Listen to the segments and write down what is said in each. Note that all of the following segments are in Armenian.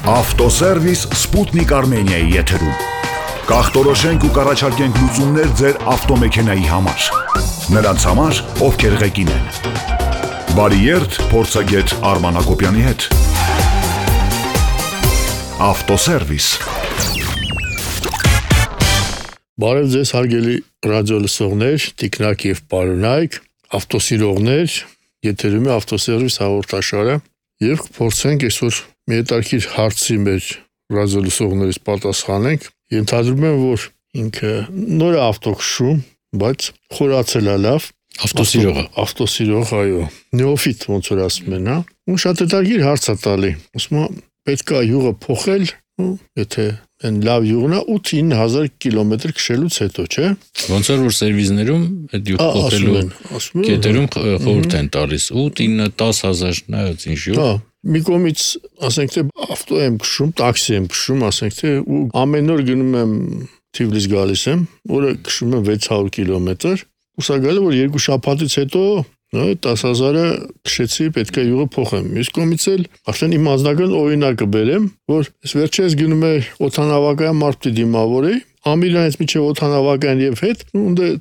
Ավտոսերվիս Սպուտնիկ Արմենիայի եթերում։ Կախտորոշենք ու կառաջարկենք լուծումներ ձեր ավտոմեքենայի համար։ Նրանց համար, ովքեր ղեկին են։ Բարի երթ փորձագետ Արման Հակոբյանի հետ։ Ավտոսերվիս։ Բարև ձեզ հարգելի ռադիո լսողներ, տիկնակ եւ պարոնայք, ավտոսիրողներ, եթերում է ավտոսերվիս հաղորդաշարը եւ կփորձենք այսօր մի հետաքրքիր հարցի մեր ռադիո լսողներից պատասխանենք։ Ենթադրում եմ, որ ինքը նոր ավտո քշում, բայց խորացել է լավ։ Ավտոսիրող, այո։ Նեոֆիտ ոնց որ ասում են, հա։ Ու շատ հետաքրքիր հարց է տալի։ Ասում է, պետք է յուղը փոխել, եթե այն լավ յուղն է 8-9000 կիլոմետր քշելուց հետո, չէ՞։ Ոնց որ սերվիզներում այդ յուղ փոխելու կետերում խորհուրդ են տալիս 8-10 նայած ինչ յուղ։ Հա, մի կողմից ասենք թե ավտո եմ քշում, տաքսի եմ քշում, ասենք թե ու ամեն օր գնում եմ Թիֆլիս գալիս եմ, օրը քշում եմ 600 կիլոմետր, ու սա գալը որ երկու շաբաթից հետո 10,000-ը քշեցի, պետք է յուղը փոխեմ։ Մյուս կողմից էլ արդեն իմ անձնական օրինակը բերեմ, որ ես վերջերս գնում եմ օդանավակայան մարդ դիմավորի, Ամիրանից միջև օդանավակայան եւ հետ,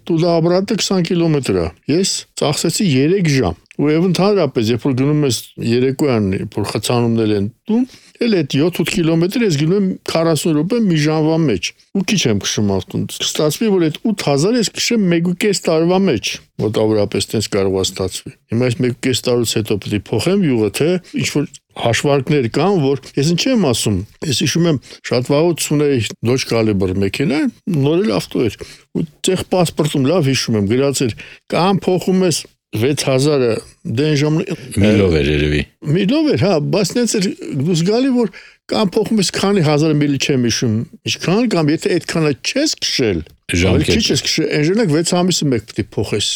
տուդա обратно 20 կիլոմետր է։ Ես ծախսեցի 3 ժամ։ Ու եւ ընդհանրապես, երբ որ գնում ես երեկոյան, որ խցանումներ են տուն, էլ այդ 7-8 կիլոմետր ես գնում եմ 40 րոպե մի ժամվա մեջ։ Ու քիչ եմ քշում ավտոն։ Ստացվի, որ այդ 8000 ես քշեմ 1.5 տարվա մեջ։ Մոտավորապես տենց կարող է ստացվի։ Հիմա այս 1.5 տարուց հետո պետք է փոխեմ յուղը, թե ինչ որ հաշվարկներ կան, որ ես ինչ եմ ասում։ Ես հիշում եմ շատ վաղուց ունեի Dodge Caliber մեքենա, նորել ավտո էր։ Ու ցեղ պասպորտում լավ հիշում եմ, գրած էր կամ փոխում ես 6000-ը դեն ժամը միլով էր երևի։ Միլով էր, հա, բայց նենց էր դուս գալի, որ կամ փոխում ես քանի 1000 միլի չեմ հիշում։ Ինչքան կամ եթե այդքանը չես քշել, քիչ ես քշել, այնժանակ 6 ամիսը մեկ պետք է փոխես։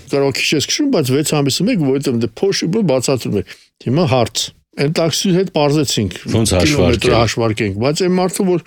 Կարող քիչ ես քշում, բայց 6 ամիսը մեկ, որովհետև դե փոշի բացատրում է։ Հիմա հարց։ Այն տաքսի հետ բարձեցինք։ Ոնց հաշվարկենք, բայց այն մարդը որ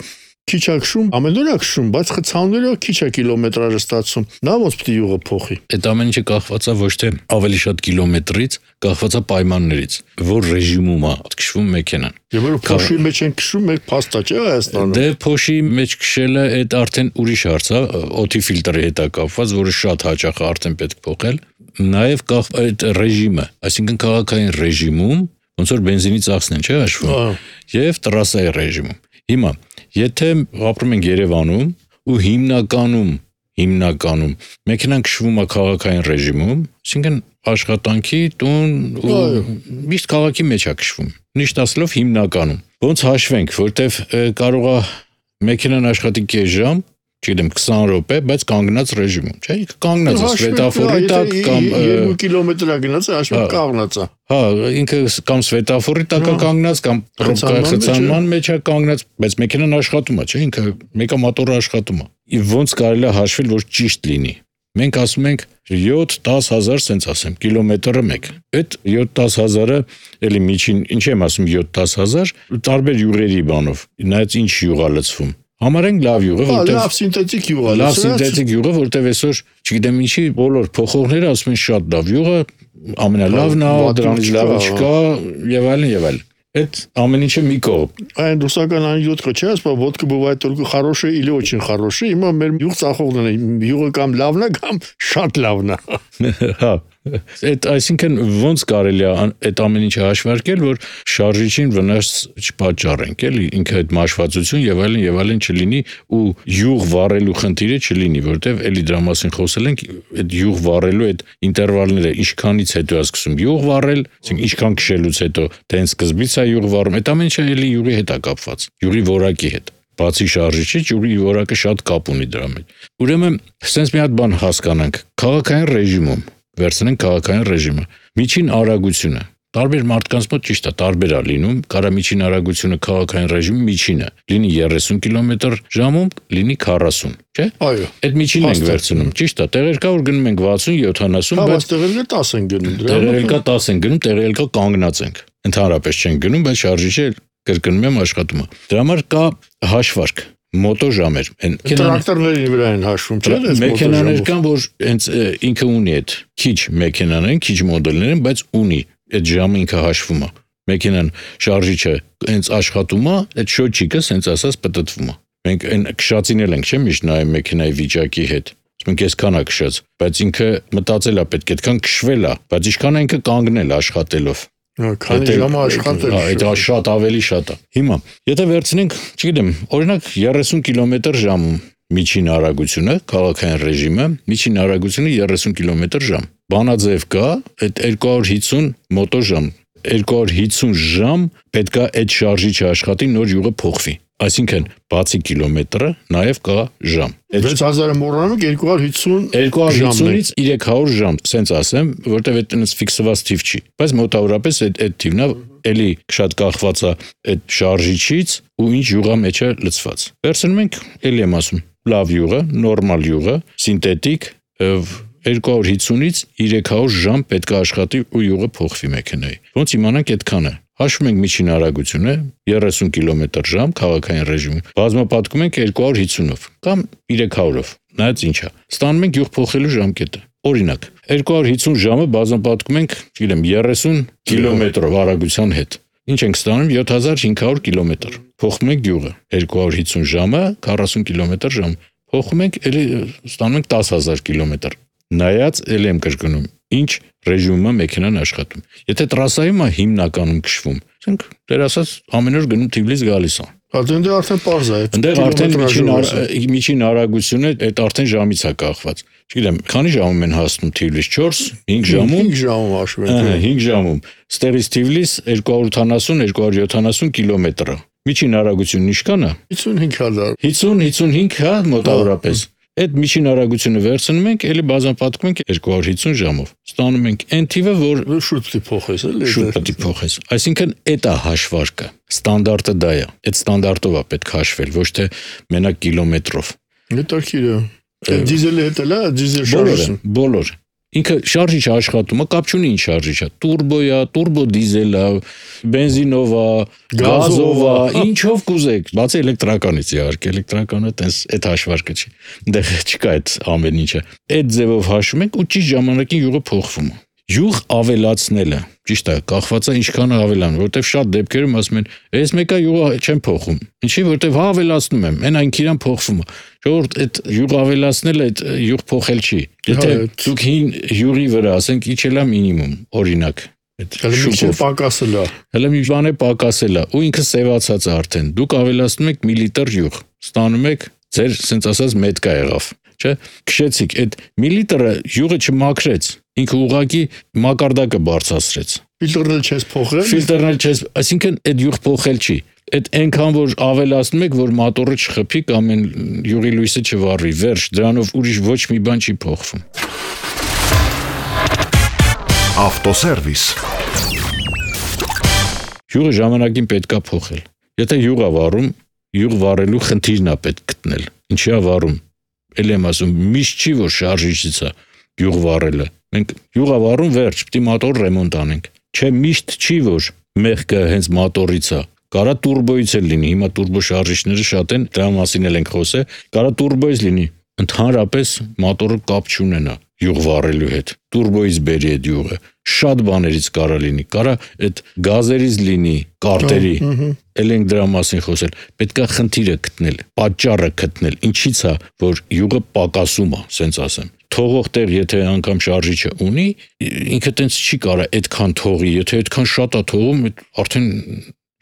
քիչ է քշում, ամեն օր է քշում, բայց խցաններով քիչ է կիլոմետրաժը ստացում։ Նա ոնց պետք է յուղը փոխի։ Այդ ամեն ինչը կախված է ոչ թե ավելի շատ կիլոմետրից, կախված է պայմաններից, որ ռեժիմում է քշվում մեքենան։ Եվ որ փոշի մեջ են քշում, մեկ փաստա չէ Հայաստանում։ Դե փոշի մեջ քշելը այդ արդեն ուրիշ հարց է, օդի ֆիլտրի հետ է կապված, որը շատ հաճախ է արդեն պետք փոխել։ Նաև այդ ռեժիմը, այսինքն քաղաքային ռեժիմում ոնց որ բենզինի ծախսն են, չէ՞ հաշվում։ Եվ տրասայի ռեժիմում։ Հիմա, եթե ապրում ենք Երևանում ու հիմնականում մեքենան քշվում է քաղաքային ռեժիմում, այսինքն աշխատանքի տուն ու միշտ քաղաքի մեջ է քշվում։ Միշտ ասելով հիմնականում։ Ոնց հաշվենք, որտեվ կարող է մեքենան աշխատի կես ժամ, չգիտեմ 20 րոպե, բայց կանգնած ռեժիմում, չէ՞։ Կանգնած է սվետաֆորի տակ կամ 2 կիլոմետր է գնաց, հաշվի կանգնած է։ Հա, ինքը կամ սվետաֆորի տակ է կանգնած, կամ խցանման մեջ է կանգնած, բայց մեքենան աշխատում է, չէ՞, ինքը մեկը մոտորը աշխատում է։ Եվ ոնց կարելի է հաշվել, որ ճիշտ լինի։ Մենք ասում ենք 7-10,000, սենց ասեմ, կիլոմետրը մեկ։ Այդ 7-10,000-ը էլի միջին, ինչ եմ ասում 7-10,000, տարբեր յուղերի բանով, նայած ինչ յուղ է լցվում։ Համարենք լավ յուղը, որտեղ լավ սինթետիկ յուղ է։ Լավ սինթետիկ յուղը, որտեղ այսօր, չգիտեմ ինչի, բոլոր փոխողները ասում են շատ լավ յուղը, ամենալավն է, դրանից լավը չկա, եւ այլն։ Это ամեն ինչը մի կողմ։ Այն ռուսական անյութը չէ, ասում ոդկա бывает только хорошая или очень хорошая։ Հիմա մեր յուղ ծախողն է, յուղը կամ լավն է, կամ շատ լավն է։ Հա։ Այդ այսինքն ոնց կարելի է այդ ամեն ինչը հաշվարկել, որ շարժիչին վնաս չպատճառենք, էլի ինքը այդ մաշվածություն եւ այլն չլինի ու յուղ վառելու խնդիրը չլինի, որտեվ էլի դրա մասին խոսել ենք, այդ յուղ վառելու այդ ինտերվալները ինչքանից հետո է սկսում յուղ վառել, այսինքն ինչքան քշելուց հետո, թե սկզբից է յուղ վառում, այդ ամեն ինչը էլի յուղի հետ է կապված, յուղի որակի հետ։ Բացի շարժիչից, յուղի որակը շատ կապ ունի դրա մեջ։ Ուրեմն, sense մի հատ բան հասկանանք, քաղաքային ռեժիմում վերցնենք քաղաքային ռեժիմը։ Միջին արագությունը տարբեր մարդկանց մոտ ճիշտ է, տարբեր է լինում, կարա միջին արագությունը քաղաքային ռեժիմի միջինը լինի 30 կմ/ժ, լինի 40, չէ՞։ Այո։ Այդ միջինն ենք վերցնում, ճիշտ է, տեղեր կա որ գնում ենք 60-70, բայց տեղեր կա 10 են գնում, տեղեր կա 10 են գնում, տեղեր կա կանգնած ենք։ Ընդհանրապես չեն գնում, բայց շարժիչը կրկնում եմ աշխատում է։ Դրա համար կա հաշվարկ։ Մոտոժամեր, տրակտորների վրա են հաշվում, չէ՞, այս մեքենաներ կան, որ հենց ինքը ունի այդ քիչ մեքենաներ են, քիչ մոդելներ են, բայց ունի այդ ժամը ինքը հաշվում է։ մեքենան շարժիչը հենց աշխատում է, այդ շոթչիկը հենց ասած պտտվում է։ Մենք այն քշածին ենք, չէ՞, միշտ նայում մեքենայի վիճակի հետ։ Մենք այսքան է քշած, բայց ինքը մտածել է պետք է այդքան քշվել է, բայց ինչքան է ինքը կանգնել աշխատելով։ Քանի ժամ աշխատել։ Այդ շատ ավելի շատ է։ Հիմա, եթե վերցնենք, չգիտեմ, օրինակ 30 կմ/ժ միջին արագությունը, քաղաքային ռեժիմը, միջին արագությունը 30 կմ/ժ։ Բանաձև կա, այդ 250 մոտոժամ, 250 ժամ պետքա այդ շարժիչը աշխատի, նոր յուղը փոխվի։ Այսինքն, բացի կիլոմետրը, նաև կա ժամ։ 6000-ը մոռանում եք 250-ից 300 ժամ, սենց ասեմ, որտեվ այդ այնպես ֆիքսված թիվ չի։ Բայց մոտավորապես այդ թիվն է, էլի շատ կախված է այդ շարժիչից ու ինչ յուղա մեջ է լցված։ Վերցնում ենք, էլի եմ ասում, լավ յուղը, նորմալ յուղը, սինթետիկ 250-ից 300 ժամ պետք է աշխատի ու յուղը փոխվի մեքենայի։ Ոնց իմանանք այդքանը։ Հաշվում ենք միջին արագությունը 30 կմ/ժ քաղաքային ռեժիմում։ Բազմապատկում ենք 250-ով կամ 300-ով։ Նայած ինչա։ Ստանում ենք յուղ փոխելու ժամկետը։ Օրինակ, 250 ժամը բազմապատկում ենք, չգիտեմ, 30 կմ/ով արագության հետ։ Ինչ ենք ստանում 7500 կմ։ Փոխում ենք յուղը 250 ժամը 40 կմ/ժ։ Փոխում ենք, էլի ստանում ենք 10000 կմ։ Նայած էլի եմ կրկնում, ինչ ռեժիմում է մեքենան աշխատում։ Եթե տրասայում է հիմնականում քշվում, ասենք դեր ասած ամեն օր գնում Թիֆլիս գալիս է։ Այդտեղ արդեն պարզ է։ Այնտեղ արդեն միջին արագությունը այդ արդեն ժամից է կախված։ Չգիտեմ, քանի ժամում են հասնում Թիֆլիս 4, 5 ժամում։ 5 ժամում հաշվում ենք։ 5 ժամում։ Ստեղից Թիֆլիս 270-270 կիլոմետր է։ Միջին արագությունն ինչքան է։ 55000։ 50-55 հա մոտավորապես։ Այդ միջին արագությունը վերցնում ենք, էլի բազմապատկում ենք 250 ժամով։ Ստանում ենք այն թիվը, որ շուտ պետք է փոխես, էլի։ Շուտ պետք է փոխես։ Այսինքն այդ է հաշվարկը։ Ստանդարտը դա է։ Այդ ստանդարտով է պետք հաշվել, ոչ թե մենակ կիլոմետրով։ Հետաքրքիր է։ Այդ դիզելի հետ էլ է, դիզել շարժիչը։ Բոլոր։ Ինքը շարժիչը աշխատում է, կապ չունի ինչ շարժիչ է։ Տուրբո է, տուրբո դիզել է, բենզինով է, գազով է, ինչով կուզեք։ Բացի էլեկտրականից իհարկե, էլեկտրականը տես այդ հաշվարկը չի։ Այնտեղ չկա այդ ամեն ինչը։ Այդ ձևով հաշվում ենք ու ճիշտ ժամանակին յուղը փոխվում է։ Յուղ ավելացնելը, ճիշտ է, կախված է ինչքան ավելան, որտեվ շատ դեպքերում ասում են, այս մեկը յուղը չեմ փոխում։ Ինչի, որտեվ հա ավելացնում եմ, այն այնքան փոխվում է։ Ժողովուրդ, այդ յուղ ավելացնելը այդ յուղ փոխել չի։ Եթե դուք հին յուղի վրա, ասենք, իջել է մինիմում, օրինակ, այդ շուկով պակասել է։ Հələ մի բան է պակասել է, ու ինքը սևացած է արդեն։ Դուք ավելացնում եք միլիտր յուղ, ստանում եք ձեր, ասենց ասած, մետկա եղավ, չէ՞։ Քշեցիք, այդ միլիտրը յուղը չմաքրեց, ինքը ուղղակի մակարդակը բարձրացրեց։ Ֆիլտրն չես փոխել։ Ֆիլտրն չես, այսինքն այդ յուղ փոխել չի։ Այդ այնքան որ ավելացնում եք, որ մոտորը չխփի կամ այն յուղի լույսը չվառվի, վերջ, դրանով ուրիշ ոչ մի բան չի փոխվում։ Ավտոսերվիս։ Յուղը ժամանակին պետք է փոխել։ Եթե յուղ է վառում, յուղ վառելու խնդիրն է պետք գտնել։ Ինչի է վառում։ Էլ եմ ասում, միշտ չի որ շարժիչից է յուղ վառելը։ Մենք յուղ է վառում, վերջ, պիտի մոտոր ռեմոնտ անենք։ Չէ, միշտ չի որ մեղքը հենց մոտորից է։ Կարա տուրբոից էլ լինի, հիմա տուրբո շարժիչները շատ են, դրա մասին էլ ենք խոսել, կարա տուրբոից լինի, ընդհանրապես մոտորը կապ չունենա յուղ վառելու հետ, տուրբոից բերի այդ յուղը, շատ բաներից կարա լինի, կարա այդ գազերից լինի, կարտերի, էլ ենք դրա մասին խոսել, պետքա խնդիրը գտնել, պատճառը գտնել, ինչից է, որ յուղը պակասում է, սենց ասեմ։ Թողող տեղ, եթե անգամ շարժիչը ունի, ինքը տենց չի կարա այդքան թողի, եթե այդքան շատ է թողում, արդեն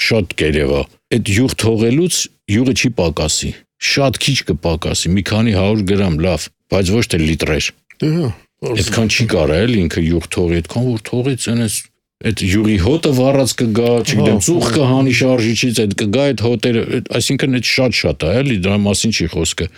շատ կերև է։ Այդ յուղ թողելուց յուղը չի պակասի, շատ քիչ կպակասի, մի քանի 100 գրամ, լավ, բայց ոչ թե լիտրեր։ Այդքան չի կարա էլ ինքը յուղ թողի, այդքան որ թողից այնես այդ յուղի հոտը վառած կգա, չգիտեմ, ծուխ կհանի շարժիչից, այդ կգա այդ հոտերը, այսինքն այդ շատ է, էլի դրա մասին չի խոսքը։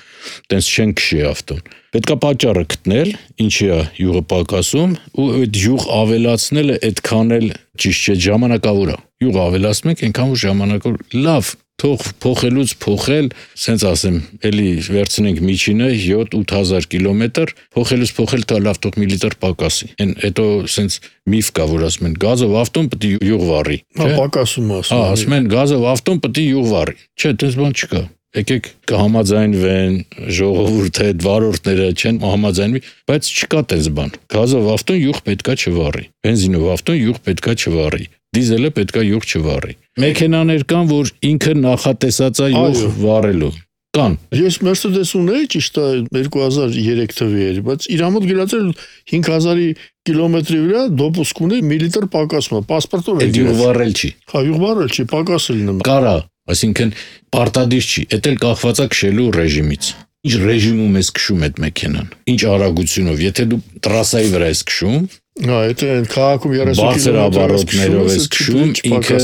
Տենց չեն քշի ավտոն։ Պետքա պատճառը գտնել, ինչի է յուղը պակասում, ու այդ յուղ ավելացնելը այդքան էլ ճիշտ չէ, ժամանակավոր է։ Յուղ ավելացնում ենք այնքան որ ժամանակավոր լավ թող փոխելուց փոխել, սենց ասեմ, էլի վերցնենք միջինը 7-8000 կիլոմետր, փոխելուց փոխել դա լավ թող միլիտր պակասի։ Այն հետո սենց միֆ կա, որ ասում են գազով ավտոն պետք է յուղ վառի։ Հա, պակասում ասում։ Հա, ասում են գազով ավտոն պետք է յուղ վառի։ Չէ, դες բան չկա։ Եկեք կհամաձայնվեն, ժողովուրդը այդ վարորդները չեն համաձայնվի, բայց չկա դες բան։ Գազով ավտոն յուղ պետքա չվառի։ Բենզինով ավտոն յուղ պետքա չվառի։ դիզելը պետքա յուղ չվառի։ Մեքենաներ կան, որ ինքը նախատեսած է յուղ վառելու։ Կան։ Ես Mercedes ունեի ճիշտ է 2003 թվի էր, բայց իր մոտ գրած էր 5000-ի կիլոմետրի վրա դոպուսկ ունի միլիտր պակասում, պասպորտով է։ Յուղ վառել չի։ Հա, յուղ վառել չի, պակասել նման։ Կարա, այսինքն պարտադիր չի, դա էլ կախված է քշելու ռեժիմից։ Ինչ ռեժիմում ես քշում այդ մեքենան, ինչ արագությունով, եթե դու տրասայի վրա ես քշում, հա, եթե քաղաքում 30 բարձր ավարոտներով ես քշում, ինքը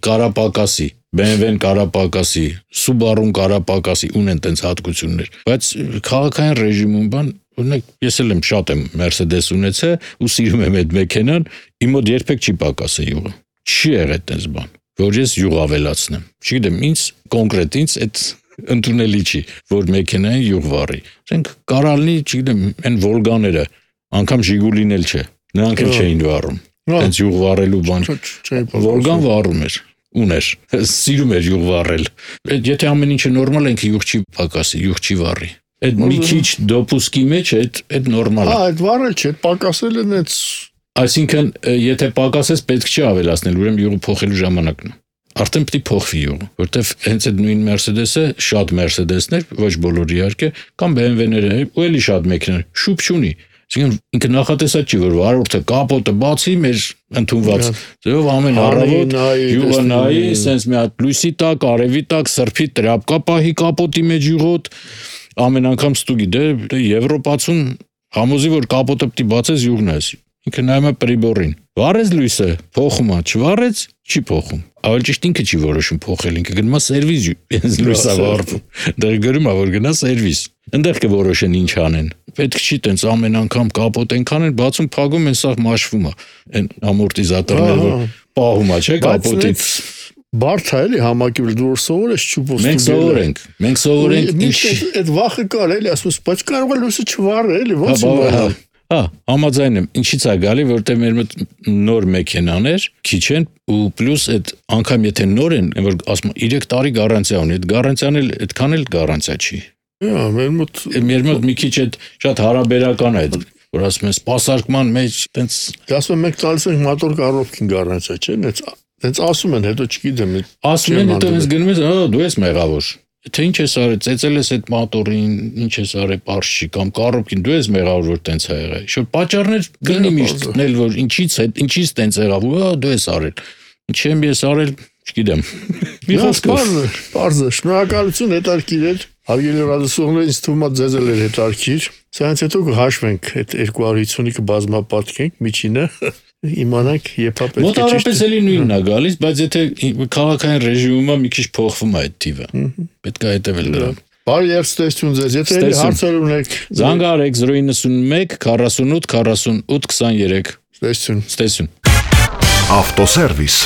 կարապակասի, BMW-ն կարապակասի, Subaru-ն կարապակասի, ունեն տենց հատկություններ, բայց քաղաքային ռեժիմում բան, օրինակ ես էլ եմ շատ եմ Mercedes ունեցել ու սիրում եմ այդ մեքենան, իմ մոտ երբեք չի պակասել յուղը։ Չի եղել տենց բան, որ ես յուղ ավելացնեմ։ Չգիտեմ, ինձ կոնկրետ ինձ այդ ընդունելի չի, որ մեքենային յուղ վառի։ Ասենք կարալնի, չգիտեմ, այն Volga-ները, անգամ Ժիգուլին էլ չէ, նրանք էլ չէին վառում։ Տենց յուղ վառելու բան։ Volga-ն վառում էր, ուներ, սիրում էր յուղ վառել։ Եթե ամեն ինչը նորմալ է, յուղ չի պակասի, յուղ չի վառի։ Այդ մի քիչ դոպուսկի մեջ այդ նորմալ է։ Հա, այդ վառել չէ, պակասել են այդ։ Այսինքն, եթե պակասես, պետք չի ավելացնել, ուրեմն յուղը փոխելու ժամանակն է։ Արդեն պետք է փոխվի յուղը, որտեվ հենց այդ նույն Mercedes-ը, շատ Mercedes-ներ, ոչ բոլորը իհարկե, կամ BMW-ները, ու էլի շատ մեքենաներ, շուտ չունի։ Այսինքն ինքը նախատեսած չի, որ վարորդը կապոտը բացի մեր ընդունված ձևով ամեն առավոտ յուղը նայի, sense մի հատ լույսի տակ, արևի տակ, սրբի տրապկա պահի կապոտի մեջ յուղոտ, ամեն անգամ ստուգի, դե Եվրոպացուն համոզի, որ կապոտը պետք է բացես յուղն ես։ Ինքը նայում է պրիբորին։ Վառեց լույսը, փոխում է, չվառեց, չի փոխում։ Ավելի ճիշտ ինքը չի որոշում փոխել, ինքը գնում է սերվիզ, լույսը վառվում։ Դեռ գրում է, որ գնա սերվիզ։ Այնտեղ կորոշեն ինչ անեն։ Պետք չի տենց ամեն անգամ կապոտ այնքան են բացում, փակում են, սա մաշվում է։ Այն ամորտիզատորները որ պահում է, չէ՞, կապոտից։ Բարդ է էլի համակիրվել դու սովոր ես ճուպոստի։ Մենք սովորենք ինչ այդ վախը կար էլի, ասում ես, բայց կարող է լույսը չվառել էլի, ո՞նց իմանալ։ Հա, համաձայն եմ, ինչից է գալի, որտեղ մեր մոտ նոր մեքենաներ քիչ են ու պլյուս այդ անգամ եթե նոր են, որ ասում 3 տարի գարանտիա ունի, այդ գարանտիան էլ այդքան էլ գարանտիա չի։ Հա, մեր մոտ մի քիչ այդ շատ հարաբերական է, որ ասում են սպասարկման մեջ տենց ասում են մենք տալիս ենք մոտոր կառավարքին գարանտիա, չէ՞, տենց ասում են, հետո չգիտեմ։ Ասում են, հետո ես գնում ես, դու ես մեղավոր։ Թե ինչ ես արել, ծեծել ես այդ մոտորին, ինչ ես արել, պարզ չի, կամ կառավարքին դու ես մեղավոր, որ տենց է եղել։ Շուտ պատճառներ կլինի միշտ գտնել, որ ինչից տենց եղավ, դու ես արել։ Ինչ եմ ես արել, չգիտեմ։ Մի խոսքով։ Պարզ է, շնորհակալություն, հետարքիր էր։ Հարգելի ռադիոսողներ, ինձ թվում է ձեզ էլ էր հետարքիր։ Սրանից հետո կհաշվենք այդ 250-ը կբազմապատկենք, միջինը իմանանք երբ պետք է ճիշտ։ Մոտավորապես էլի նույնն է գալիս, բայց եթե քաղաքային ռեժիմում մի քիչ փոխվում է այդ թիվը, պետք է հետևել դրան։ Բարի երբ ստեսություն ձեզ, եթե հարցեր ունեք, զանգահարեք 091 48 48 23։ Ստեսություն։ Ստեսություն։ Ավտոսերվիս